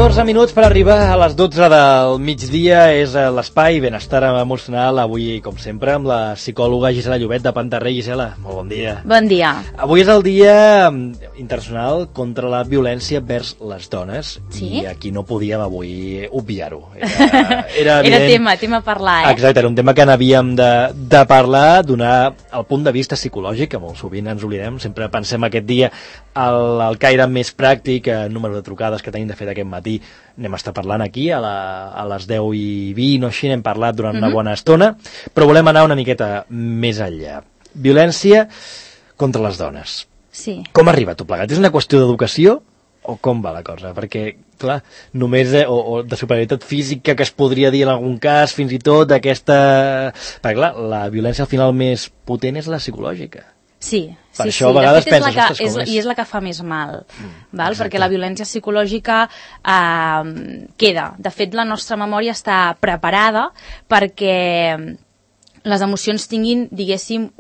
14 minuts per arribar a les 12 del migdia. És l'espai Benestar Emocional, avui, com sempre, amb la psicòloga Gisela Llobet de Pantarrey. Gisela, molt bon dia. Bon dia. Avui és el Dia Internacional contra la Violència vers les dones. Sí? I aquí no podíem avui obviar-ho. Era tema a parlar, Exacte, era un tema que n'havíem de parlar, donar el punt de vista psicològic, que molt sovint ens oblidem. Sempre pensem aquest dia el caire més pràctic, el número de trucades que tenim de fet aquest matí. Anem a estar parlant aquí a les 10:20 o així, n'hem parlat durant una bona estona, però volem anar una miqueta més enllà. Violència contra les dones. Sí. Com arriba tot plegat? És una qüestió d'educació o com va la cosa? Perquè, clar, només o de superioritat física, que es podria dir en algun cas, fins i tot d'aquesta... Perquè, clar, la violència al final més potent és la psicològica. Sí, per això a vegades penses, ostres, com és? I és la que fa més mal, val? Perquè la violència psicològica queda. De fet, la nostra memòria està preparada perquè les emocions tinguin, diguéssim,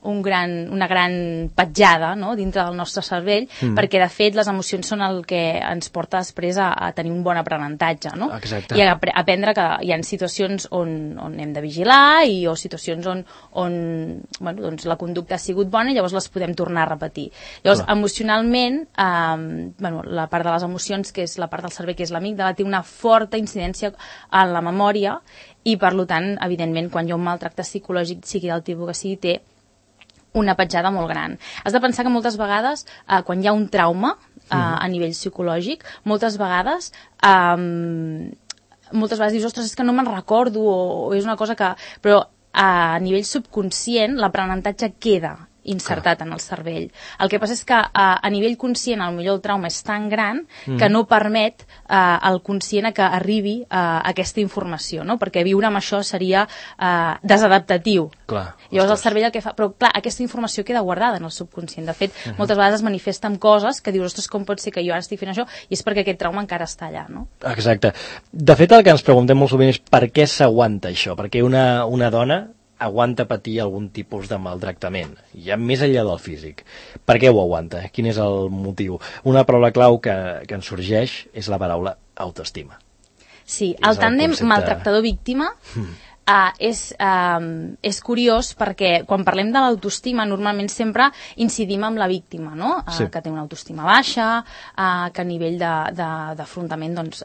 una gran petjada, no?, dintre del nostre cervell, perquè de fet les emocions són el que ens porta després a tenir un bon aprenentatge, no? Exacte. I a aprendre que hi ha situacions on hem de vigilar o situacions on bueno, doncs la conducta ha sigut bona i llavors les podem tornar a repetir. Llavors, emocionalment, bueno, la part de les emocions, que és la part del cervell que és l'amígdala, té una forta incidència en la memòria i, per tant, evidentment, quan hi ha un maltracte psicològic, sigui del tipus que sigui, té una petjada molt gran. Has de pensar que moltes vegades, quan hi ha un trauma a nivell psicològic, moltes vegades dius, ostres, és que no me'n recordo, o és una cosa que... Però a nivell subconscient l'aprenentatge queda insertat en el cervell. El que passa és que a nivell conscient potser el trauma és tan gran que no permet al conscient que arribi aquesta informació, no? Perquè viure amb això seria desadaptatiu. Clar, llavors el cervell el que fa... Però clar, aquesta informació queda guardada en el subconscient. De fet, moltes vegades es manifesta amb coses que dius, ostres, com pot ser que jo ara estic fent això? I és perquè aquest trauma encara està allà, no? Exacte. De fet, el que ens preguntem molt sovint és per què s'aguanta això? Perquè una dona aguanta patir algun tipus de maltractament, ja més enllà del físic. Per què ho aguanta? Quin és el motiu? Una paraula clau que ens sorgeix és la paraula autoestima. Sí, el tàndem maltractador-víctima és curiós perquè quan parlem de l'autoestima normalment sempre incidim en la víctima, no? Sí. Que té una autoestima baixa, que a nivell d'afrontament, doncs,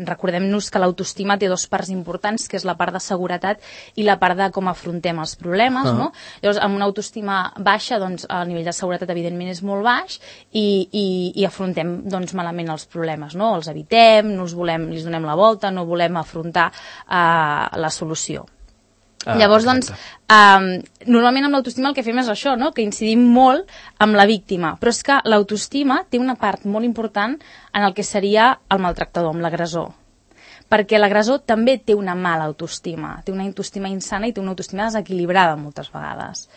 recordem-nos que l'autoestima té dues parts importants, que és la part de seguretat i la part de com afrontem els problemes, no? Llavors, amb una autoestima baixa, doncs, el nivell de seguretat evidentment és molt baix i afrontem, doncs, malament els problemes, no? Els evitem, els donem la volta, no volem afrontar la solució. Llavors, doncs, normalment amb l'autoestima el que fem és això, no?, que incidim molt amb la víctima, però és que l'autoestima té una part molt important en el que seria el maltractador, amb l'agressor, perquè l'agressor també té una mala autoestima, té una autoestima insana i té una autoestima desequilibrada moltes vegades.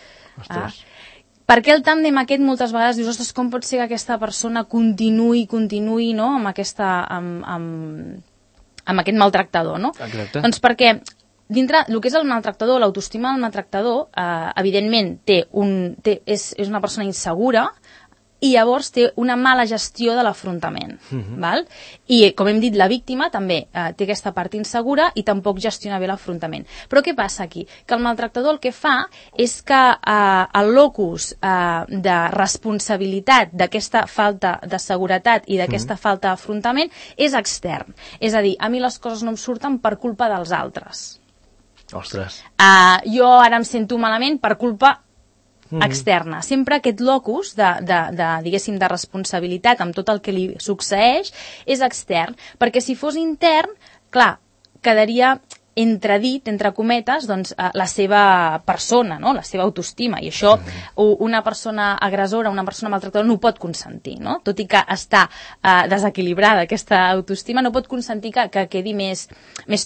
Per què el tàndem aquest moltes vegades dius, ostres, com pot ser que aquesta persona continuï, no?, amb aquest maltractador, no? Exacte. Doncs perquè dintre el que és el maltractador, l'autoestima del maltractador, evidentment és una persona insegura i llavors té una mala gestió de l'afrontament. I, com hem dit, la víctima també té aquesta part insegura i tampoc gestiona bé l'afrontament. Però què passa aquí? Que el maltractador el que fa és que el locus de responsabilitat d'aquesta falta de seguretat i d'aquesta falta d'afrontament és extern. És a dir, a mi les coses no em surten per culpa dels altres. Ostres. Jo ara em sento malament per culpa externa. Sempre aquest locus diguéssim, de responsabilitat amb tot el que li succeeix és extern, perquè si fos intern, clar, quedaria entredit, entre cometes, doncs, la seva persona, no?, la seva autoestima, i això una persona agressora, una persona maltractadora no ho pot consentir, no? Tot i que està desequilibrada aquesta autoestima, no pot consentir que quedi més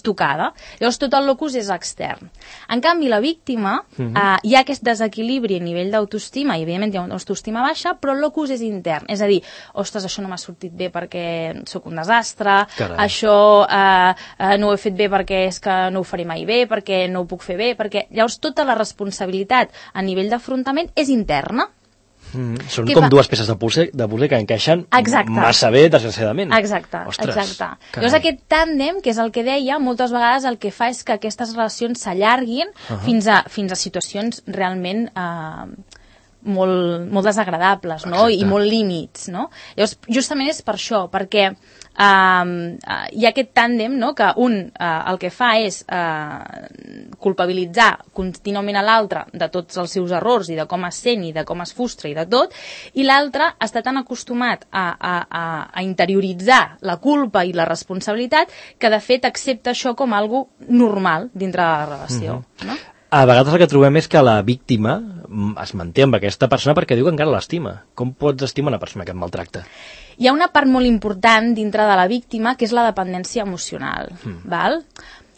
tocada. Llavors tot el locus és extern. En canvi, la víctima, hi ha aquest desequilibri a nivell d'autoestima, i evidentment hi ha una autoestima baixa, però el locus és intern, és a dir, ostres, això no m'ha sortit bé perquè sóc un desastre, això no ho he fet bé perquè és que no ho faré mai bé, perquè no ho puc fer bé, perquè llavors tota la responsabilitat a nivell d'afrontament és interna. Són com dues peces de puzzle que encaixen massa bé, desgraciadament. Exacte. Llavors aquest tàndem, que és el que deia, moltes vegades el que fa és que aquestes relacions s'allarguin fins a situacions realment molt desagradables, no? I molt límits, no? Llavors, justament és per això, perquè hi ha aquest tàndem, no? Que un el que fa és culpabilitzar contínuament a l'altre de tots els seus errors i de com es sent i de com es frustra i de tot, i l'altre està tan acostumat a interioritzar la culpa i la responsabilitat que de fet accepta això com algo normal dintre de la relació, no? A vegades el que trobem és que la víctima es manté amb aquesta persona perquè diu que encara l'estima. Com pots estimar una persona que et maltracta? Hi ha una part molt important dintre de la víctima que és la dependència emocional, val?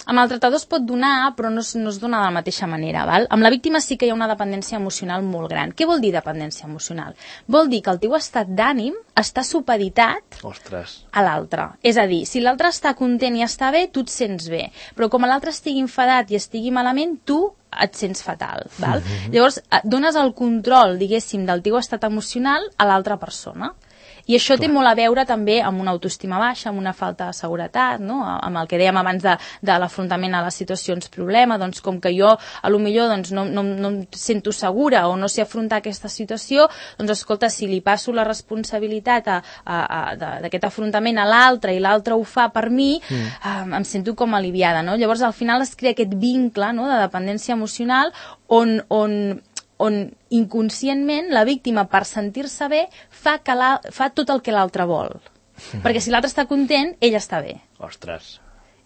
Amb el maltratador es pot donar, però no es dona de la mateixa manera, val? Amb la víctima sí que hi ha una dependència emocional molt gran. Què vol dir dependència emocional? Vol dir que el teu estat d'ànim està supeditat a l'altre. És a dir, si l'altre està content i està bé, tu et sents bé. Però com l'altre estigui enfadat i estigui malament, tu et sents fatal, val? Llavors, dones el control, diguéssim, del teu estat emocional a l'altra persona. I això té molt a veure també amb una autoestima baixa, amb una falta de seguretat, no? Amb el que dèiem abans de l'afrontament a les situacions problema, doncs com que jo a lo millor doncs, no em sento segura o no sé afrontar aquesta situació, doncs escolta, si li passo la responsabilitat d'aquest afrontament a l'altre i l'altre ho fa per mi, em sento com aliviada, no? Llavors al final es crea aquest vincle, no?, de dependència emocional on inconscientment la víctima, per sentir-se bé, fa tot el que l'altre vol. Perquè si l'altre està content, ell està bé. Ostres,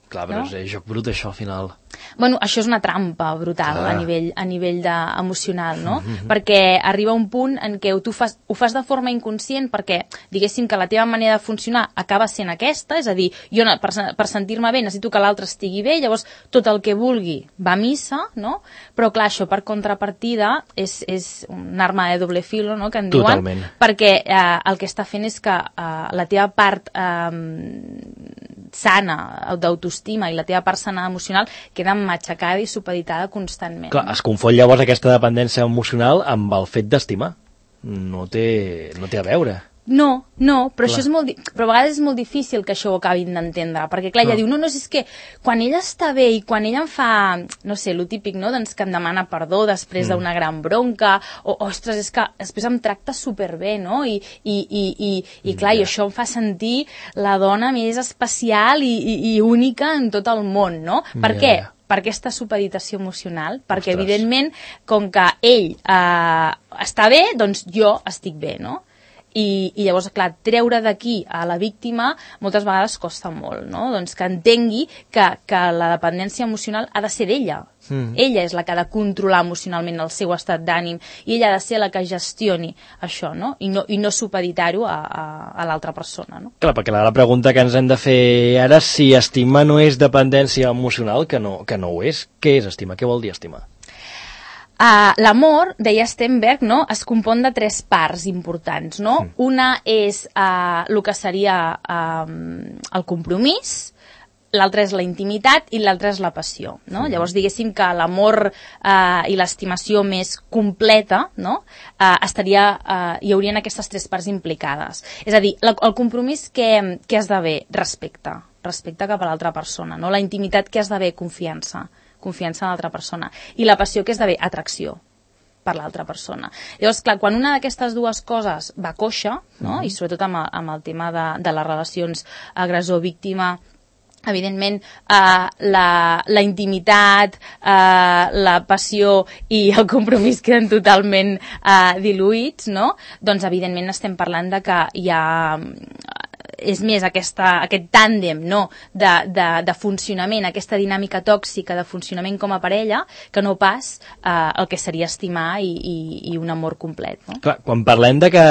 clar, però és joc brut això al final. Bueno, això és una trampa brutal a nivell emocional, no? Perquè arriba un punt en què tu ho fas de forma inconscient perquè, diguéssim, que la teva manera de funcionar acaba sent aquesta, és a dir, jo per sentir-me bé necessito que l'altre estigui bé, llavors tot el que vulgui va a missa, no? Però clar, això per contrapartida és una arma de doble filo, no?, que en diuen. Totalment. Perquè el que està fent és que la teva part sana d'autoestima i la teva part sana emocional queda matxacada i supeditada constantment. Clar, es confon llavors aquesta dependència emocional amb el fet d'estimar. No té a veure. No, però això però a vegades és molt difícil que això ho acabin d'entendre, perquè clar, ella diu, no, és que quan ella està bé i quan ella em fa, no sé, lo típic, no?, doncs que em demana perdó després d'una gran bronca, o, ostres, és que després em tracta superbé, no?, i clar, i això em fa sentir la dona més especial i única en tot el món, no? Per què? Per aquesta supeditació emocional, perquè evidentment, com que ell està bé, doncs jo estic bé, no? I llavors, clar, treure d'aquí a la víctima moltes vegades costa molt, no? Doncs que entengui que la dependència emocional ha de ser d'ella. Ella és la que ha de controlar emocionalment el seu estat d'ànim i ella ha de ser la que gestioni això, no? I no supeditar-ho a l'altra persona, no? Clar, perquè la pregunta que ens hem de fer ara, si estimar no és dependència emocional, que no ho és, què és estimar? Què vol dir estimar? L'amor, deia Stenberg, no?, es compon de 3 parts importants, no? Una és el que seria el compromís, l'altra és la intimitat i l'altra és la passió, no? Llavors, diguéssim que l'amor i l'estimació més completa, no?, hi haurien aquestes 3 parts implicades. És a dir, el compromís que has d'haver? Respecte cap a l'altra persona, no? La intimitat que has d'haver? Confiança en l'altra persona. I la passió que és d'haver? Atracció per l'altra persona. Llavors, clar, quan una d'aquestes dues coses va coixa, no?, i sobretot amb el tema de les relacions agressor-víctima, evidentment la intimitat, la passió i el compromís queden totalment diluïts, no? Doncs evidentment estem parlant de que hi ha és més aquest tàndem, no?, de funcionament, aquesta dinàmica tòxica de funcionament com a parella, que no pas el que seria estimar i un amor complet, no? Clar, quan parlem de que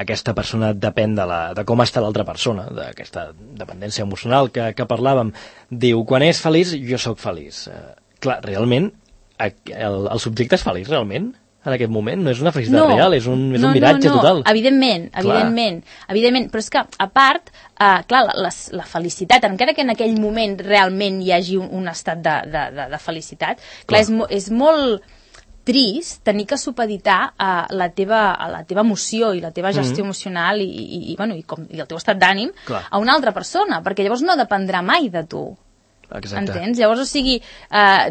aquesta persona depèn de com està l'altra persona, d'aquesta dependència emocional que parlàvem, diu, quan és feliç, jo sóc feliç. Clar, realment, el subjecte és feliç, realment? En aquest moment? No és una felicitat real, és un miratge total. Evidentment, però és que, a part, clar, la felicitat, encara que en aquell moment realment hi hagi un estat de felicitat, clar, és molt trist tenir que supeditar la teva emoció i la teva gestió emocional i el teu estat d'ànim a una altra persona, perquè llavors no dependrà mai de tu. Exacte. Entens? Llavors, o sigui,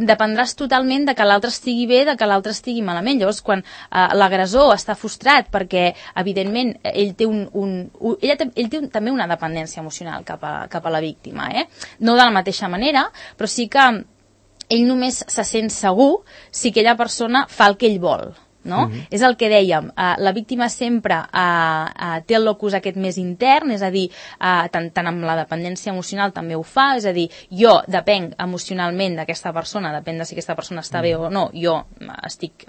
dependràs totalment de que l'altre estigui bé, de que l'altre estigui malament. Llavors, quan l'agressor està frustrat perquè, evidentment, ell té també una dependència emocional cap a la víctima, no de la mateixa manera, però sí que ell només se sent segur si aquella persona fa el que ell vol. No? És el que dèiem, la víctima sempre té el locus aquest més intern, és a dir, tant amb la dependència emocional també ho fa, és a dir, jo depenc emocionalment d'aquesta persona, depèn de si aquesta persona està bé o no, jo estic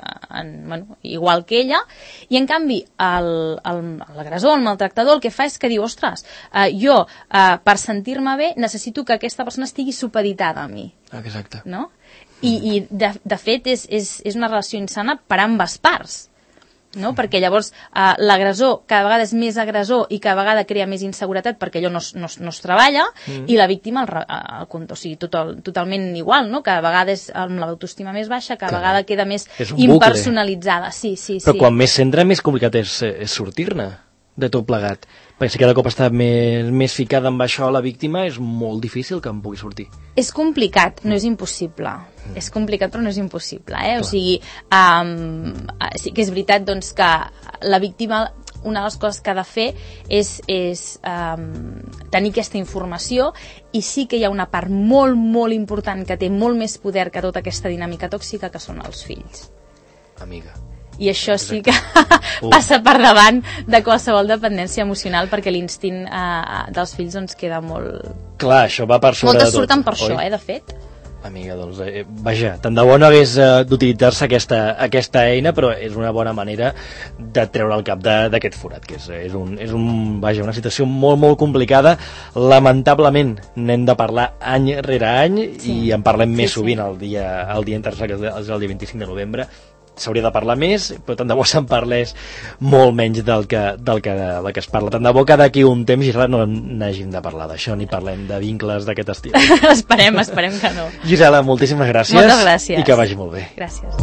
igual que ella, i en canvi l'agressor, el maltractador, el que fa és que diu, ostres, jo per sentir-me bé necessito que aquesta persona estigui supeditada a mi. Exacte. No? I de fet és una relació insana per ambes parts, no? Perquè llavors l'agressor cada vegada és més agressor i cada vegada crea més inseguretat perquè allò no es treballa, i la víctima o sigui, totalment igual, no? Cada vegada és amb l'autoestima més baixa, cada vegada queda més impersonalitzada. Sí. Però quan més s'entra, més complicat és sortir-ne de tot plegat. Perquè si cada cop està més ficada amb això la víctima, és molt difícil que en pugui sortir. És complicat, no és impossible. És complicat, però no és impossible. O sigui, sí que és veritat doncs, que la víctima, una de les coses que ha de fer és tenir aquesta informació, i sí que hi ha una part molt, molt important que té molt més poder que tota aquesta dinàmica tòxica, que són els fills. Amiga. I això sí que passa per davant de qualsevol dependència emocional, perquè l'instint dels fills doncs queda molt... Clar, això va per sobre de tot. Moltes surten per això, de fet. Amiga, doncs, vaja, tant de bo no hagués d'utilitzar-se aquesta eina, però és una bona manera de treure el cap d'aquest forat, que és una situació molt, molt complicada. Lamentablement n'hem de parlar any rere any, i en parlem més sovint el dia internacional, que és el dia 25 de novembre. S'hauria de parlar més, però tant de bo se'n parlés molt menys del que es parla. Tant de bo que d'aquí un temps, Gisela, no n'hàgim de parlar d'això, ni parlem de vincles d'aquest estil. Esperem que no. Gisela, moltíssimes gràcies. Moltes gràcies. I que vagi molt bé. Gràcies.